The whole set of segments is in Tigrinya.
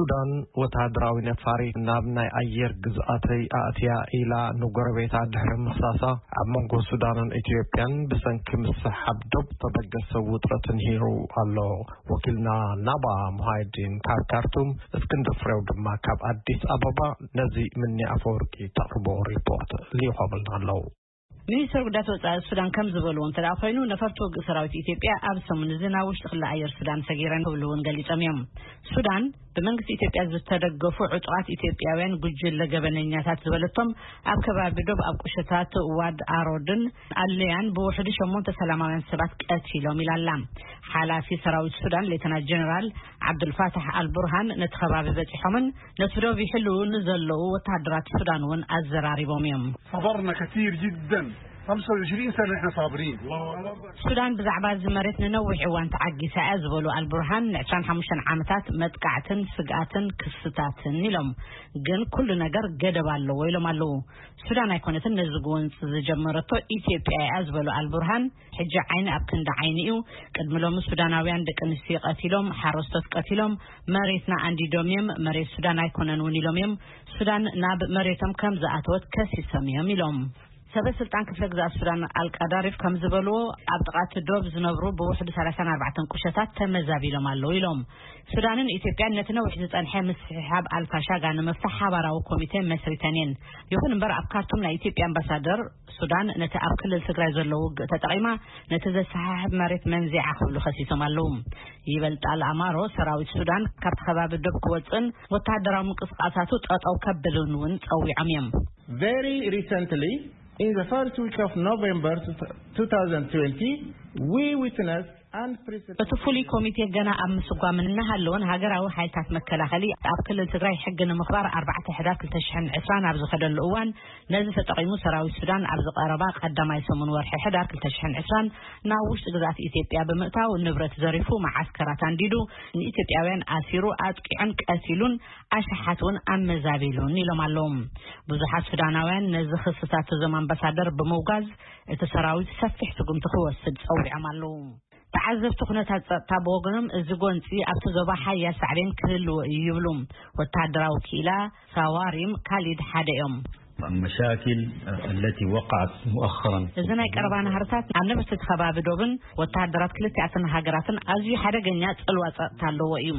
ሱዳን ወተሃደራዊ ነፋሪት ናብ ናይ ኣየር ግዝኣተይ ኣእትያ ኢላ ንጎረቤታ ድሕሪ ምኽሳሳ፣ ኣብ መንጎ ሱዳንን ኢትዮጵያን ብሰንኪ ምስሕሓብ ዶብ ተበገሰ ውጥረት ንሂሩ ኣሎ። ወኪልና ናባ ሙሃይዲን ካብ ካርቱም፣ እስክንድር ፍሬው ድማ ካብ ኣዲስ ኣበባ ነዚ ምኒ ኣፈወርቂ ተቕርቦ ሪፖርት ልኢኾምልና ኣለዉ። ሚኒስትር ጉዳያት ወጻኢ ሱዳን ከም ዝበልዎ እንተ ደኣ ኮይኑ፣ ነፈርቲ ውግእ ሰራዊት ኢትዮጵያ ኣብ ሰሙን እዚ ናብ ውሽጢ ክሊ ኣየር ሱዳን ሰጊረን ክብሉ እውን ገሊጾም እዮም። ሱዳን ብመንግስቲ ኢትዮጵያ ዝተደገፉ ዕጡቓት ኢትዮጵያውያን ጉጅለ ገበነኛታት ዝበለቶም ኣብ ከባቢ ዶብ ኣብ ቁሸታት ዋድ ኣሮድን ኣለያን ብውሕዱ ሸሞንተ ሰላማውያን ሰባት ቀቲሎም ኢላ ኣላ። ሓላፊ ሰራዊት ሱዳን ሌተና ጀነራል ዓብዱልፋታሕ ኣልቡርሃን ነቲ ከባቢ በጺሖምን ነቲ ዶብ ይሕልዉ ንዘለዉ ወተሃደራት ሱዳን እውን ኣዘራሪቦም እዮም። صبرنا كثير جدًا. خمسة وعشرين سنة نحن صابرين. الله أكبر. ሱዳን ብዛዕባ እዚ መሬት ንነዊሕ እዋን ተዓጊሳ እያ ዝበሉ ኣልቡርሃን፣ ን25 ዓመታት መጥቃዕትን ስግኣትን ክስታትን ኢሎም፣ ግን ኩሉ ነገር ገደብ ኣለዎ ኢሎም ኣለዉ። ሱዳን ኣይኮነትን ነዚ ጎንፂ ዝጀመረቶ፣ ኢትዮጵያ እያ ዝበሉ ኣልቡርሃን፣ ሕጂ ዓይኒ ኣብ ክንዲ ዓይኒ እዩ። ቅድሚ ሎሚ ሱዳናውያን ደቂ ኣንስትዮ ቀቲሎም፣ ሓረስቶት ቀቲሎም፣ መሬትና ኣንዲዶም እዮም፣ መሬት ሱዳን ኣይኮነን እውን ኢሎም እዮም። ሱዳን ናብ መሬቶም ከም ዝኣተወት ከሲሶም እዮም ኢሎም። ሰበ ስልጣን ክፍለ ግዛት ሱዳን ኣልቃዳሪፍ ከም ዝበልዎ፣ ኣብ ጥቓ እቲ ዶብ ዝነብሩ ብውሕዱ 34 ቁሸታት ተመዛቢሎም ኣለዉ ኢሎም። ሱዳንን ኢትዮጵያን ነቲ ነዊሕ ዝጸንሐ ምስሕሓብ ኣልፋሻጋ ንምፍታሕ ሓባራዊ ኮሚቴ መስሪተን እየን። ይኹን እምበር፣ ኣብ ካርቱም ናይ ኢትዮጵያ ኣምባሳደር ሱዳን ነቲ ኣብ ክልል ትግራይ ዘሎ ውግእ ተጠቒማ ነቲ ዘሰሓሕብ መሬት መንዚዓ ክብሉ ከሲሶም ኣለዉ። ይበልጣል ኣማሮ ሰራዊት ሱዳን ካብቲ ከባቢ ዶብ ክወፅእን ወተሃደራዊ ምንቅስቃሳቱ ጠጠው ከብልን እውን ጸዊዖም እዮም። Very recently, in the first week of November two thousand twenty, we witnessed unprecedented እቲ ፍሉይ ኮሚቴ ገና ኣብ ምስጓም እናሃለወን ሃገራዊ ሓይልታት መከላኸሊ ኣብ ክልል ትግራይ ሕጊ ንምኽባር ኣርባዕተ ሕዳር ክልተ ሽሕን ዕስራን ኣብ ዝኸደሉ እዋን፣ ነዚ ተጠቒሙ ሰራዊት ሱዳን ኣብዚ ቀረባ ቀዳማይ ሰሙን ወርሒ ሕዳር ክልተ ሽሕን ዕስራን ናብ ውሽጢ ግዝኣት ኢትዮጵያ ብምእታው ንብረት ዘሪፉ፣ መዓስከራት ኣንዲዱ፣ ንኢትዮጵያውያን ኣሲሩ፣ ኣጥቂዑን ቀቲሉን፣ ኣሽሓት እውን ኣመዛቢሉን ኢሎም ኣለዉ። ብዙሓት ሱዳናውያን ነዚ ክስታት እዞም ኣምባሳደር ብምውጋዝ፣ እቲ ሰራዊት ሰፊሕ ስጉምቲ ክወስድ ጸዊዖም ኣለዉ። ተዓዘብቲ ኩነታት ጸጥታ ብወገኖም፣ እዚ ጎንጺ ኣብቲ ዞባ ሓያል ሳዕቤን ክህልዎ እዩ ይብሉ። ወተሃደራዊ ክኢላ ሳዋሪም ካሊድ ሓደ እዮም። المشاكل التي وقعت مؤخرا. እዚ ናይ ቀረባ ናህርታት ኣብ ነበርቲ እቲ ከባቢ ዶብን ወተሃደራት ክልቲኣተን ሃገራትን ኣዝዩ ሓደገኛ ጽልዋ ጸጥታ ኣለዎ እዩ።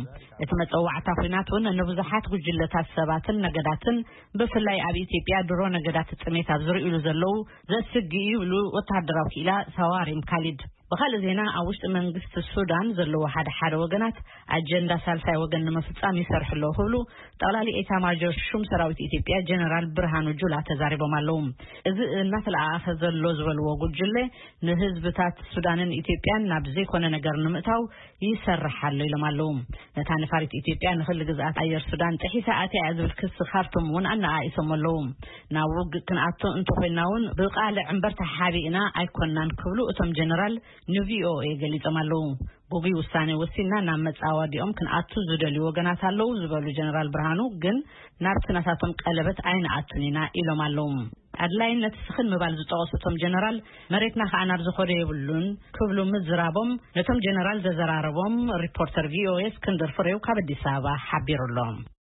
እቲ መጸዋዕታ ኲናት እውን ንብዙሓት ጉጅለታት ሰባትን ነገዳትን፣ ብፍላይ ኣብ ኢትዮጵያ ድሮ ነገዳት ጥሜት ኣብ ዝርእሉ ዘለዉ ዘስግእ እዩ ይብሉ ወተሃደራዊ ክኢላ ሳዋሪም ካሊድ። ብኻልእ ዜና፣ ኣብ ውሽጢ መንግስቲ ሱዳን ዘለዉ ሓደ ሓደ ወገናት ኣጀንዳ ሳልሳይ ወገን ንምፍጻም ይሰርሑ ኣለዉ ክብሉ ጠቕላሊ ኤታ ማጆር ሹም ሰራዊት ኢትዮጵያ ጀነራል ብርሃኑ ጁላ ተዛሪቦም ኣለዉ። እዚ እናተለኣኣኸ ዘሎ ዝበልዎ ጉጅለ ንህዝብታት ሱዳንን ኢትዮጵያን ናብ ዘይኮነ ነገር ንምእታው ይሰርሕ ኣሎ ኢሎም ኣለዉ። ነታ ነፋሪት ኢትዮጵያ ንክሊ ግዝኣት ኣየር ሱዳን ጥሒሳ ኣትያ እያ ዝብል ክሲ ካርቱም እውን ኣነኣኢሶም ኣለዉ። ናብ ውግእ ክንኣቱ እንተኮይና እውን ብቃልዕ እምበር ተሓቢእና ኣይኮናን ክብሉ እቶም ጀነራል ንቪኦኤ ገሊጾም ኣለዉ። ግጉይ ውሳኔ ወሲንና ናብ መጻወዲኦም ክንኣቱ ዝደልዩ ወገናት ኣለዉ ዝበሉ ጀነራል ብርሃኑ ግን ናብቲ ናታቶም ቀለበት ኣይንኣቱን ኢና ኢሎም ኣለዉ። ኣድላይነት ስኽን ምባል ዝጠቐሱ እቶም ጀነራል መሬትና ከኣ ናብ ዝኸዶ የብሉን ክብሉ ምዝራቦም ነቶም ጀነራል ዘዘራረቦም ሪፖርተር ቪኦኤ እስክንድር ፍሬው ካብ ኣዲስ ኣበባ ሓቢሩ ኣሎ።